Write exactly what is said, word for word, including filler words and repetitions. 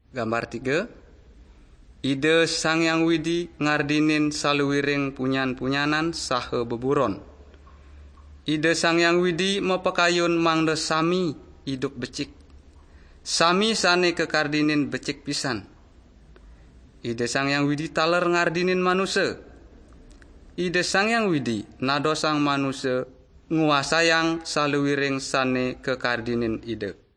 Gambar tiga. Ida Sang Hyang Widi ngardinin saluiring punyan-punyanan saha beburon. Ida Sang Hyang Widi mapakayun mangda sami idup becik. Sami sane kakardinin becik pisan. Ida Sang Hyang Widi taler ngardinin manusa. Ida Sang Hyang Widi nadosang manusa nguasayang saluiring sane kakardinin Ida.